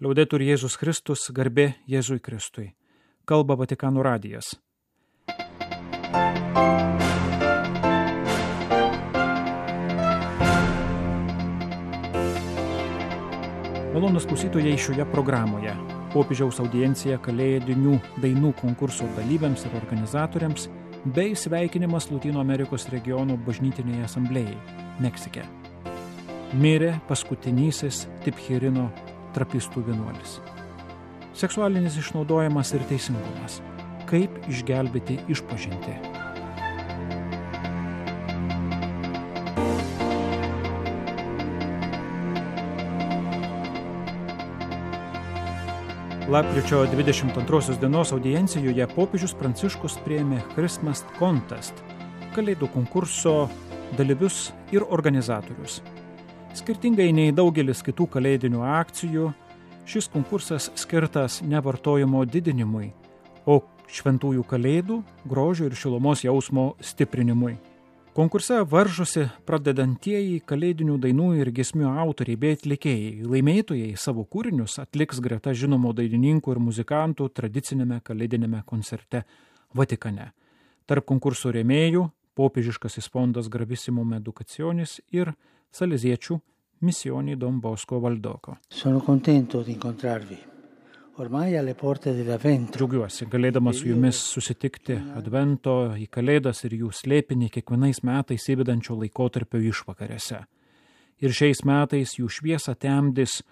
Liaudetur Jėzus Kristus, garbė Jėzui Kristui. Kalba Vatikano radijas. Malonūs klausytojai, šioje programoje popiežiaus audiencija kalėdinių dainų konkurso dalyviams ir organizatoriams bei sveikinimas Lotynų Amerikos regiono bažnytinėje asamblėjai Meksike. Mirė paskutinysis Tipchirino trapistų vienuolis. Seksualinis išnaudojimas ir teisingumas. Kaip išgelbėti išpažintį. Lapkričio 22 dienos audiencijoje popiežius Pranciškus priėmė Christmas Contest, kalėdų konkurso dalyvius ir organizatorius. Skirtingai nei daugelis kitų kalėdinių akcijų, šis konkursas skirtas ne vartojimo didinimui, o šventųjų kalėdų, grožio ir šilumos jausmo stiprinimui. Konkurse varžosi pradedantieji kalėdinių dainų ir giesmių autoriai bei atlikėjai. Laimėtojai savo kūrinius atliks greta žinomų dainininkų ir muzikantų tradicinėme kalėdinėme koncerte Vatikane. Tarp konkurso rėmėjų popiežiškasis fondas Gravissimum Educationis ir saleziečių Missioni Don Bosco Valdoko. Sono contento di incontrarvi. Ormai alle porte dell'Avvento. Džiaugiuosi, galėdamas su jumis susitikti Advento į Kalėdas ir jų slėpinį kiekvienais metais įvedančio laikotarpio išvakarėse. Ir šiais metais jų šviesą temdys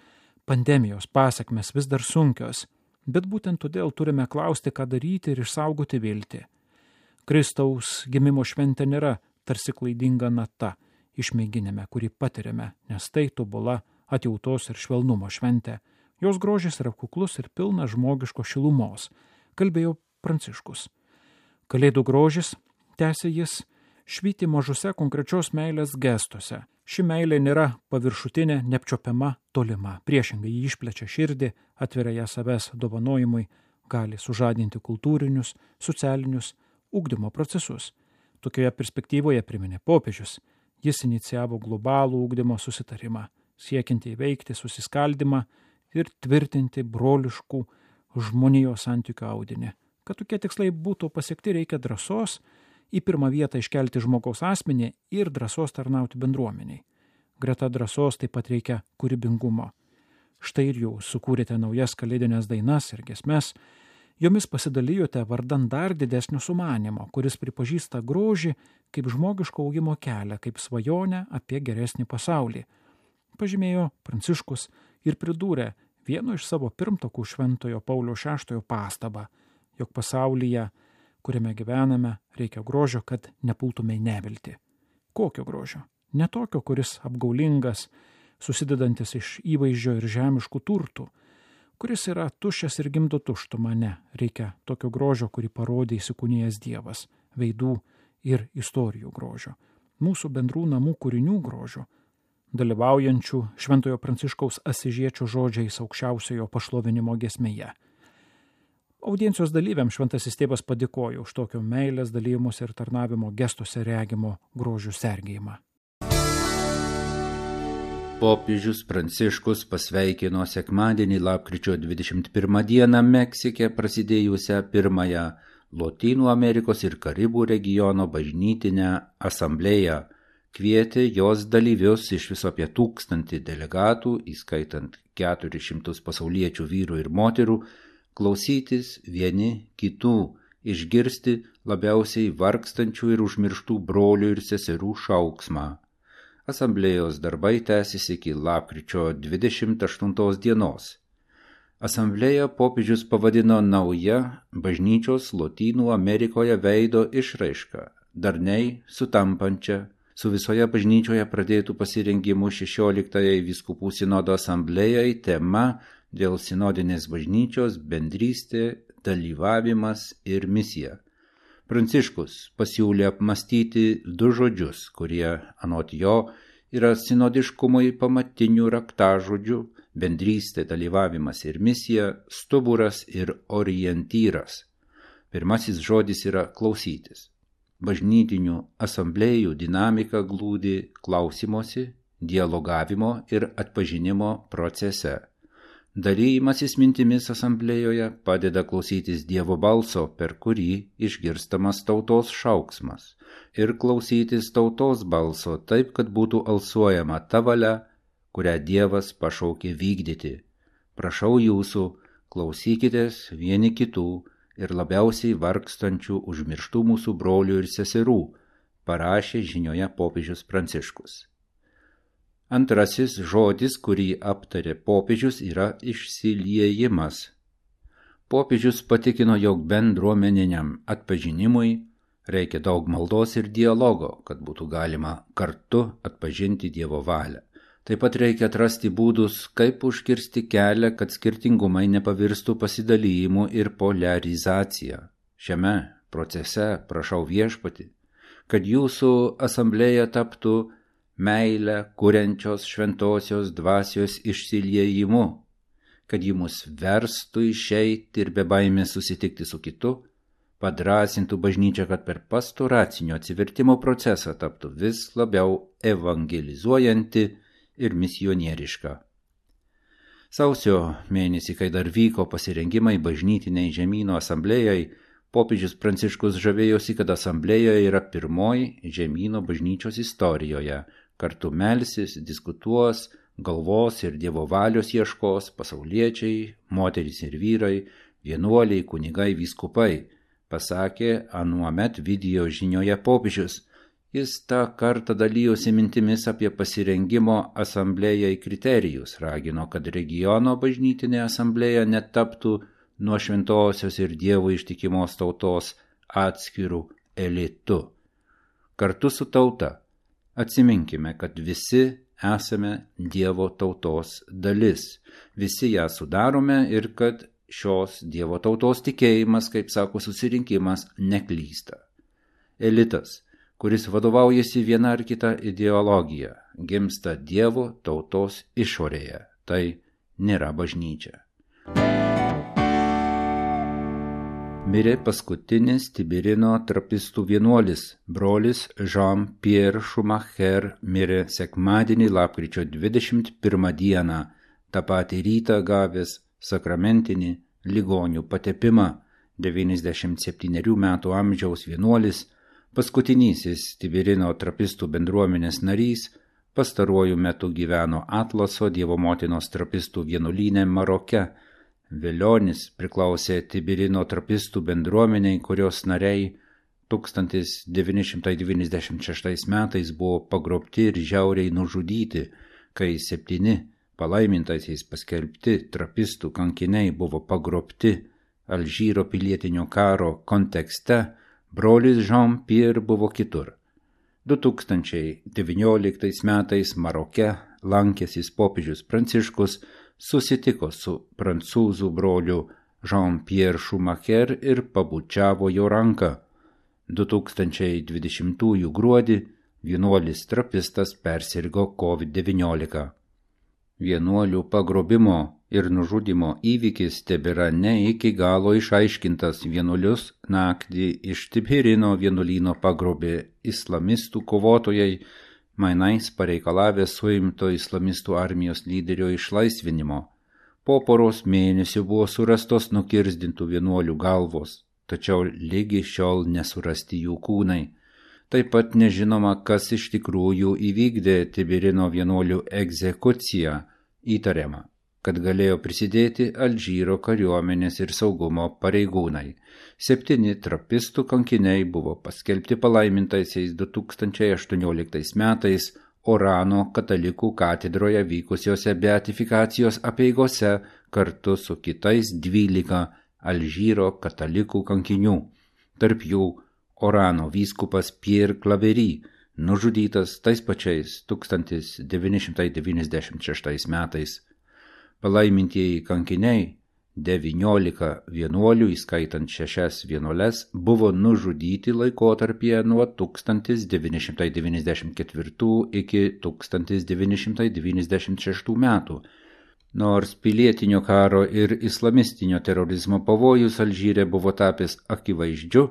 pandemijos pasekmes vis dar sunkios, bet būtent todėl turime klausti, ką daryti ir išsaugoti viltį. Kristaus gimimo šventė nėra tarsi klaidinga nata išmėginime, kurį patiriame, nes tai tobula atjautos ir švelnumo šventė. Jos grožis yra kuklus ir pilnas žmogiško šilumos, kalbėjo Pranciškus. Kalėdų grožis, tęsė jis, švyti mažuose konkrečios meilės gestuose. Ši meilė nėra paviršutinė, neapčiopiama, tolima. Priešingai jį išplečia širdį, atveria ją savęs dovanojimui, gali sužadinti kultūrinius, socialinius ugdymo procesus. Tokioje perspektyvoje priminė popiežius. Jis inicijavo globalų ugdymo susitarimą, siekiantį įveikti susiskaldymą ir tvirtinti broliškų žmonijos santykių audinį. Kad tokie tikslai būtų pasiekti, reikia drąsos į pirmą vietą iškelti žmogaus asmenį ir drąsos tarnauti bendruomeniai. Greta drąsos taip pat reikia kūrybingumo. Štai ir jūs sukūrėte naujas kalėdinės dainas ir giesmes, jomis pasidalijote vardan dar didesnio sumanimo, kuris pripažįsta grožį kaip žmogiško augimo kelią, kaip svajonę apie geresnį pasaulį. Pažymėjo Pranciškus ir pridūrė vieno iš savo pirmtakų Šventojo Pauliaus VI pastabą, jog pasaulyje, kuriame gyvename, reikia grožio, kad nepultume į neviltį. Kokio grožio? Ne tokio, kuris apgaulingas, susidedantis iš įvaizdžio ir žemiškų turtų, kuris yra tuščias ir gimdo tuštumą. Ne, reikia tokio grožio, kurį parodė įsikūnijęs Dievas, veidų ir istorijų grožio, mūsų bendrų namų kūrinių grožio, dalyvaujančių Šventojo Pranciškaus Asižiečio žodžiais aukščiausiojo pašlovinimo giesmėje. Audiencijos dalyviams Šventasis Tėvas padėkojo už tokio meilės dalyjimus ir tarnavimo gestuose regimo grožių sergėjimą. Popiežius Pranciškus pasveikino sekmadienį lapkričio 21 dieną Meksike prasidėjusią pirmąją Lotynų Amerikos ir Karibų regiono bažnytinę asamblėją. Kvietė jos dalyvius iš viso apie 1000 delegatų, įskaitant 400 pasauliečių vyrų ir moterų, klausytis vieni kitų, išgirsti labiausiai vargstančių ir užmirštų brolių ir seserų šauksmą. Asamblėjos darbai tęsis iki lapkričio 28 dienos. Asamblėją popiežius pavadino nauja bažnyčios Lotynų Amerikoje veido išraiška, darniai sutampančia su visoje bažnyčioje pradėtų pasirengimų 16-ąjai vyskupų sinodo asamblėjai tema dėl sinodinės bažnyčios bendrystė, dalyvavimas ir misija. Pranciškus pasiūlė apmastyti 2 žodžius, kurie, anot jo, yra sinodiškumui pamatinių raktažodžių – bendrystė, dalyvavimas ir misija, stuburas ir orientyras. Pirmasis žodis yra klausytis. Bažnytinių asamblėjų dinamika glūdi klausimosi, dialogavimo ir atpažinimo procese. Dalymasis mintimis asamblėjoje padeda klausytis Dievo balso, per kurį išgirstamas tautos šauksmas, ir klausytis tautos balso taip, kad būtų alsuojama ta valia, kurią Dievas pašaukė vykdyti. Prašau jūsų, klausykitės vieni kitų ir labiausiai vargstančių užmirštų mūsų brolių ir seserų, parašė žinioje popiežius Pranciškus. Antrasis žodis, kurį aptarė popiežius, yra išsiliejimas. Popiežius patikino, jog bendruomeniniam atpažinimui reikia daug maldos ir dialogo, kad būtų galima kartu atpažinti Dievo valią. Taip pat reikia atrasti būdus, kaip užkirsti kelią, kad skirtingumai nepavirstų pasidalymu ir poliarizacija. Šiame procese prašau Viešpatį, kad jūsų asamblėja taptų meilę kuriančios šventosios dvasios išsiliejimu, kad ji mus verstų išeiti ir be baimės susitikti su kitu, padrąsintų bažnyčią, kad per pastoracinio atsivertimo procesą taptų vis labiau evangelizuojanti ir misionieriška. Sausio mėnesį, kai dar vyko pasirengimai bažnytiniai žemyno asamblėjai, popiežius Pranciškus žavėjosi, kad asamblėjoje yra pirmoji žemyno bažnyčios istorijoje. Kartu melsis, diskutuos, galvos ir Dievo valios ieškos pasauliečiai, moterys ir vyrai, vienuoliai, kunigai, vyskupai, pasakė anuomet video žinioje popiežius. Jis tą kartą dalyjosi mintimis apie pasirengimo asamblėjai kriterijus, ragino, kad regiono bažnytinė asamblėja netaptų nuo šventosios ir Dievo ištikimos tautos atskirų elitų. Kartu su tauta atsiminkime, kad visi esame Dievo tautos dalis, visi ją sudarome ir kad šios Dievo tautos tikėjimas, kaip sako susirinkimas, neklysta. Elitas, kuris vadovaujasi viena ar kita ideologija, gimsta Dievo tautos išorėje, tai nėra bažnyčia. Mirė paskutinis Tibirino trapistų vienuolis, brolis Jean-Pierre Schumacher, mirė sekmadienį lapkričio 21 dieną, tą patį rytą gavęs sakramentinį ligonių patepimą. 97 metų amžiaus vienuolis, paskutinysis Tibirino trapistų bendruomenės narys, pastaruoju metu gyveno Atlaso Dievo motinos trapistų vienuolyne Maroke. Velionis priklausė Tibirino trapistų bendruomeniai, kurios nariai 1996 metais buvo pagrobti ir žiauriai nužudyti, kai 7 palaimintaisiais paskelbti trapistų kankiniai buvo pagrobti Alžyro pilietinio karo kontekste, brolis Jean-Pierre buvo kitur. 2019 metais Maroke lankęsis popiežius Pranciškus susitiko su prancūzų broliu Jean-Pierre Schumacher ir pabučiavo jo ranką. 2020 gruodį vienuolis trapistas persirgo COVID-19. Vienuolių pagrobimo ir nužudimo įvykis tebėra ne iki galo išaiškintas. Vienuolius naktį iš Tibirino vienuolyno pagrobė islamistų kovotojai, mainais pareikalavę suimto islamistų armijos lyderio išlaisvinimo. Po poros mėnesių buvo surastos nukirzdintų vienuolių galvos, tačiau lygi šiol nesurasti jų kūnai. Taip pat nežinoma, kas iš tikrųjų įvykdė Tibirino vienuolių egzekuciją, įtariama, kad galėjo prisidėti Alžyro kariuomenės ir saugumo pareigūnai. 7 trapistų kankiniai buvo paskelbti palaimintaisiais 2018 metais Orano katalikų katedroje vykusiose beatifikacijos apeigose kartu su kitais 12 Alžyro katalikų kankinių. Tarp jų Orano vyskupas Pierre Claverie, nužudytas tais pačiais 1996 metais. Palaimintieji kankiniai, 19 vienuolių, įskaitant 6 vienuoles, buvo nužudyti laikotarpyje nuo 1994 iki 1996 metų. Nors pilietinio karo ir islamistinio terorizmo pavojus Alžyre buvo tapęs akivaizdžiu,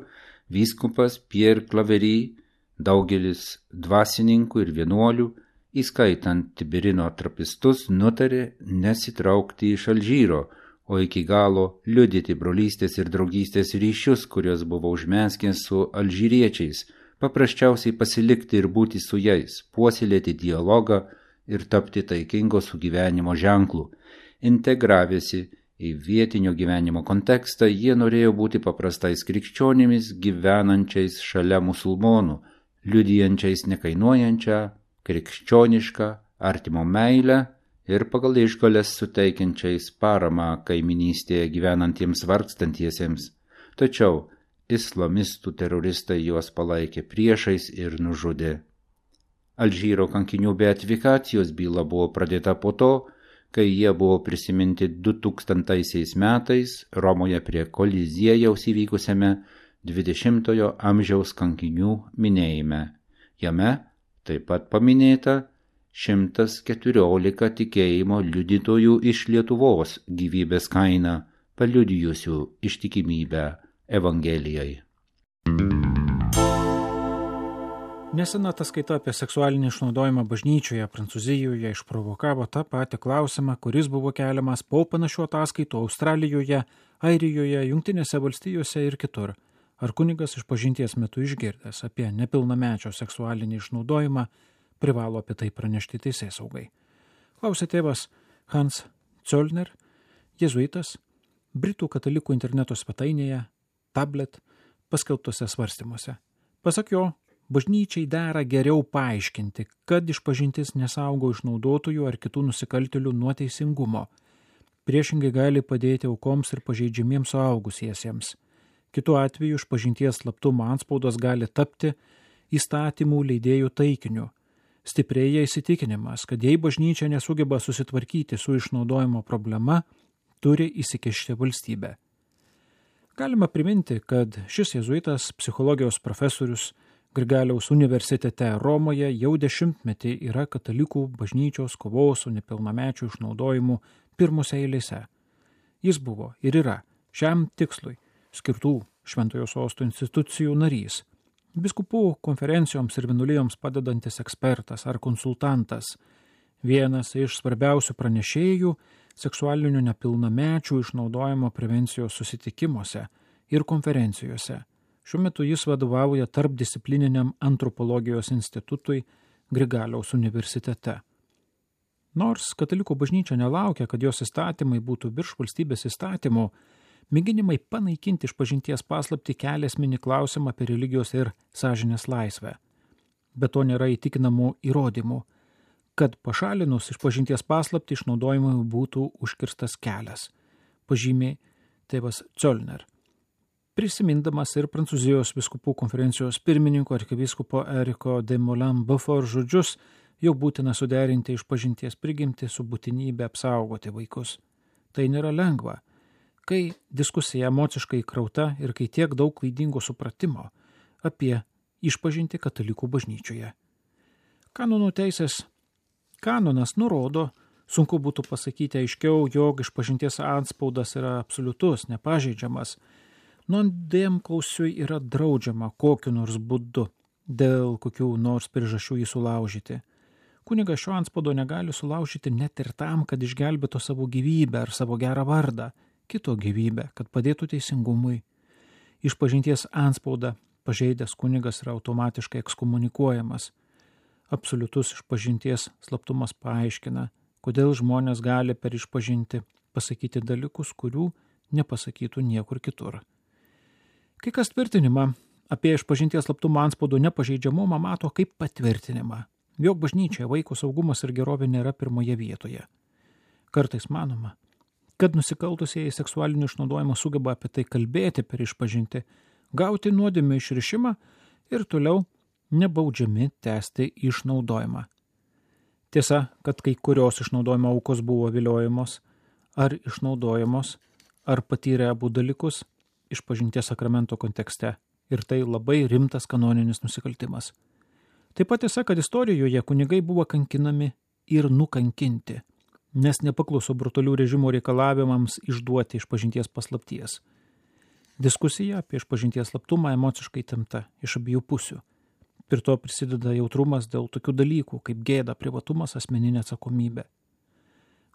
vyskupas Pierre Claverie, daugelis dvasininkų ir vienuolių įskaitant Tibirino trapistus, nutarė nesitraukti iš Alžyro, o iki galo liudyti brolystės ir draugystės ryšius, kurios buvo užmeskęs su alžyriečiais, paprasčiausiai pasilikti ir būti su jais, puoselėti dialogą ir tapti taikingo sugyvenimo ženklų. Integravėsi į vietinio gyvenimo kontekstą, jie norėjo būti paprastais krikščionimis gyvenančiais šalia musulmonų, liudijančiais nekainuojančią, krikščionišką, artimo meilę ir pagal išgales suteikiančiais paramą kaiminystėje gyvenantiems vargstantiesiems. Tačiau islamistų teroristai juos palaikė priešais ir nužudė. Alžyro kankinių beatifikacijos byla buvo pradėta po to, kai jie buvo prisiminti 2000 metais Romoje prie Koliziejaus įvykusiame 20-ojo amžiaus kankinių minėjime. Jame taip pat paminėta 114 tikėjimo liudytojų iš Lietuvos gyvybės kaina, paliudijusių ištikimybę Evangelijai. Nesena ataskaita apie seksualinį išnaudojimą bažnyčioje Prancūzijoje išprovokavo tą patį klausimą, kuris buvo keliamas po panašių ataskaitų Australijoje, Airijoje, Jungtinėse valstijose ir kitur. Ar kunigas išpažinties metu išgirdęs apie nepilnamečio seksualinį išnaudojimą privalo apie tai pranešti teisėsaugai? Klausė tėvas Hans Zollner, jėzuitas, Britų katalikų interneto svetainėje Tablet paskelbtose svarstymuose. Pasak jo, bažnyčiai dera geriau paaiškinti, kad išpažintis nesaugo išnaudotojų ar kitų nusikaltėlių nuo teisingumo. Priešingai gali padėti aukoms ir pažeidžiamiems suaugusiesiems. Kitu atveju išpažinties slaptumo antspaudas gali tapti įstatymų leidėjų taikiniu. Stiprėja įsitikinimas, kad jei bažnyčia nesugeba susitvarkyti su išnaudojimo problema, turi įsikišti valstybė. Galima priminti, kad šis jėzuitas, psichologijos profesorius Grigaliaus universitete Romoje jau 10 metį yra katalikų bažnyčios kovos su nepilnamečių išnaudojimu pirmose eilėse. Jis buvo ir yra šiam tikslui skirtų Šventojo Sosto institucijų narys, biskupų konferencijoms ir vienuolijoms padedantis ekspertas ar konsultantas, vienas iš svarbiausių pranešėjų seksualinių nepilnamečių išnaudojimo prevencijos susitikimuose ir konferencijose. Šiuo metu jis vadovauja tarpdisciplininiam antropologijos institutui Grigaliaus universitete. Nors katalikų bažnyčia nelaukia, kad jos įstatymai būtų virš valstybės įstatymų, mėginimai panaikinti išpažinties paslaptį kelia esminį klausimą apie religijos ir sąžinės laisvę. Be to nėra įtikinamų įrodymų, kad pašalinus išpažinties paslaptį išnaudojimui būtų užkirstas kelias, pažymė tėvas Zollner. Prisimindamas ir Prancūzijos vyskupų konferencijos pirmininko arkivyskupo Eriko de Moulin-Beaufort žodžius, jau būtina suderinti išpažinties prigimtį su būtinybė apsaugoti vaikus. Tai nėra lengva, kai diskusija emociškai krauta ir kai tiek daug klaidingo supratimo apie išpažinti katalikų bažnyčioje. Kanonų teisės kanonas nurodo, sunku būtų pasakyti aiškiau, jog išpažinties antspaudas yra absoliutus, nepažeidžiamas. Nuodėmklausiui yra draudžiama kokiu nors būdu, dėl kokių nors priežasčių jį sulaužyti. Kunigas šio antspaudo negali sulaužyti net ir tam, kad išgelbėtų savo gyvybę ar savo gerą vardą, kito gyvybę, kad padėtų teisingumui. Išpažinties antspaudą pažeidęs kunigas yra automatiškai ekskomunikuojamas. Absoliutus išpažinties slaptumas paaiškina, kodėl žmonės gali per išpažinti pasakyti dalykus, kurių nepasakytų niekur kitur. Kai kas tvirtinimą apie išpažinties slaptumo antspaudo nepažeidžiamumą mato kaip patvirtinimą, jog bažnyčioje vaiko saugumas ir gerovė nėra pirmoje vietoje. Kartais manoma, kad nusikaltusieji seksualinio išnaudojimo sugeba apie tai kalbėti per išpažinti, gauti nuodėmių išrišimą ir toliau nebaudžiami tęsti išnaudojimą. Tiesa, kad kai kurios išnaudojimo aukos buvo viliojamos ar išnaudojamos, ar patyrė abu dalykus išpažinties sakramento kontekste, ir tai labai rimtas kanoninis nusikaltimas. Taip pat tiesa, kad istorijoje kunigai buvo kankinami ir nukankinti, nes nepakluso brutalių režimo reikalavimams išduoti išpažinties paslapties. Diskusija apie išpažinties slaptumą emociškai tempta iš abiejų pusių. Prie to prisideda jautrumas dėl tokių dalykų, kaip gėda, privatumas, asmeninė atsakomybė.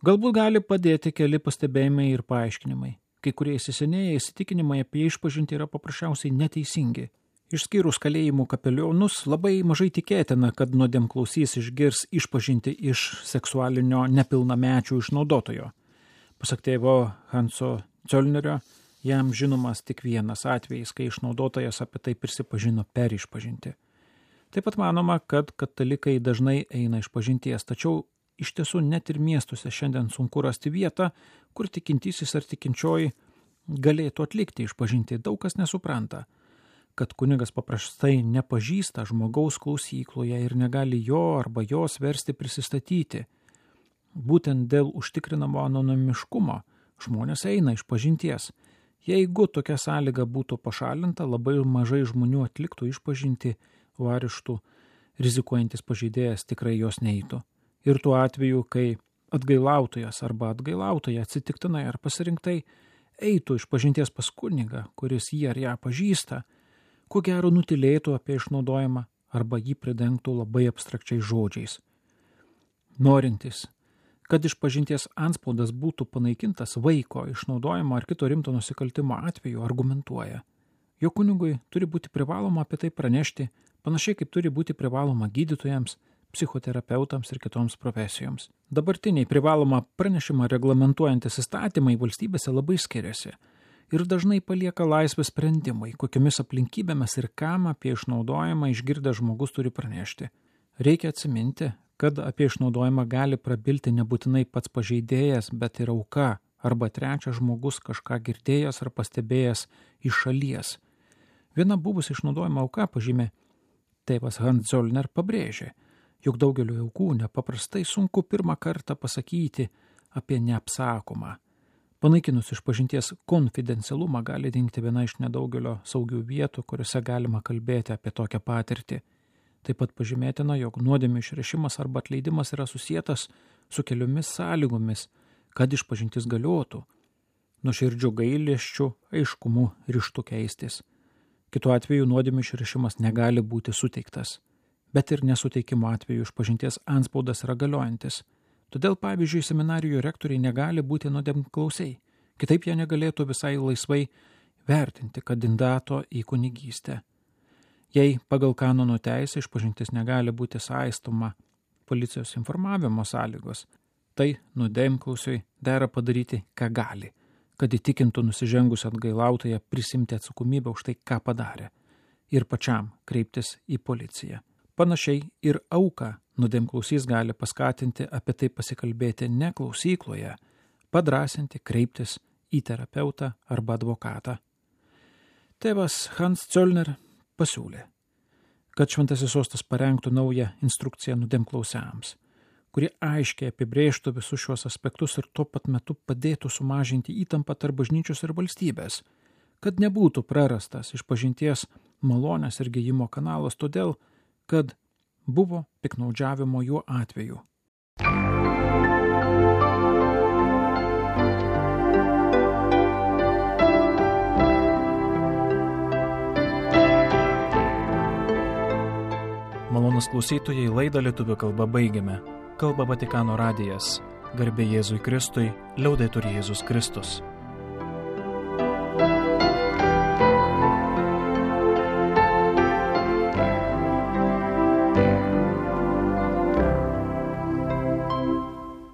Galbūt gali padėti keli pastebėjimai ir paaiškinimai. Kai kurie įsisenėję įsitikinimai apie išpažintį yra paprasčiausiai neteisingi. Išskyrus kalėjimų kapelionus, labai mažai tikėtina, kad nuodėmklausys išgirs išpažintį iš seksualinio nepilnamečių išnaudotojo. Pasak tėvo Hanso Zöllnerio, jam žinomas tik vienas atvejis, kai išnaudotojas apie tai prisipažino per išpažintį. Taip pat manoma, kad katalikai dažnai eina išpažinties, tačiau iš tiesų net ir miestuose šiandien sunku rasti vietą, kur tikintysis ar tikinčioji galėtų atlikti išpažintį. Daug kas nesupranta, kad kunigas paprastai nepažįsta žmogaus klausykloje ir negali jo arba jos versti prisistatyti. Būtent dėl užtikrinamo anonimiškumo žmonės eina išpažinties. Jeigu tokia sąlyga būtų pašalinta, labai mažai žmonių atliktų išpažinti, o areštų rizikuojantis pažeidėjas tikrai jos neeitų. Ir tuo atveju, kai atgailautojas arba atgailautoja atsitiktinai ar pasirinktai eitų išpažinties pas kunigą, kuris jį ar ją pažįsta, ko gero nutilėtų apie išnaudojimą arba jį pridengtų labai abstrakčiais žodžiais. Norintis, kad išpažinties antspaudas būtų panaikintas vaiko išnaudojimo ar kito rimto nusikaltimo atveju, argumentuoja. Jo kunigui turi būti privaloma apie tai pranešti, panašiai kaip turi būti privaloma gydytojams, psichoterapeutams ir kitoms profesijoms. Dabartiniai privalomą pranešimą reglamentuojantis įstatymai valstybėse labai skiriasi ir dažnai palieka laisvę sprendimai, kokiomis aplinkybėmis ir kam apie išnaudojimą išgirdęs žmogus turi pranešti. Reikia atsiminti, kad apie išnaudojimą gali prabilti nebūtinai pats pažeidėjas, bet ir auka arba trečias žmogus kažką girdėjęs ar pastebėjęs iš šalies. Viena buvusi išnaudojimo auka, pažymė tėvas Hans Zöllner, pabrėžė, jog daugeliu aukų nepaprastai sunku pirmą kartą pasakyti apie neapsakomą. Panaikinus išpažinties konfidencialumą gali dingti viena iš nedaugelio saugių vietų, kuriuose galima kalbėti apie tokią patirtį. Taip pat pažymėtina, jog nuodėmių išrešimas arba atleidimas yra susietas su keliomis sąlygomis, kad išpažintis galiotų, nuoširdžiu gailesčiu, aiškumu, ryžtu keistis. Kitu atveju nuodėmių išrešimas negali būti suteiktas, bet ir nesuteikimo atveju išpažinties antspaudas yra galiojantis. Todėl, pavyzdžiui, seminarijų rektoriai negali būti nuodėmklausiai, kitaip jie negalėtų visai laisvai vertinti kandidato į kunigystę. Jei pagal kanonų teisę išpažintis negali būti saistoma policijos informavimo sąlygos, tai nuodėmklausiui dera padaryti, ką gali, kad įtikintų nusižengus atgailautoją prisimti atsakomybę už tai, ką padarė, ir pačiam kreiptis į policiją. Panašiai ir auką nuodėmklausys gali paskatinti apie tai pasikalbėti ne klausykloje, padrąsinti kreiptis į terapeutą arba advokatą. Tėvas Hans Zöllner pasiūlė, kad Šventasis Sostas parengtų naują instrukciją nuodėmklausiams, kuri aiškiai apibrėžtų visus šios aspektus ir tuo pat metu padėtų sumažinti įtampą tarp bažnyčios ir valstybės, kad nebūtų prarastas išpažinties malonės ir gijimo kanalas, todėl, kad buvo piktnaudžiavimo juo atveju. Malonūs klausytojai, laidą lietuvių kalba baigiame. Kalba Vatikano radijas. Garbė Jėzui Kristui, liaudetur Jėzus Kristus.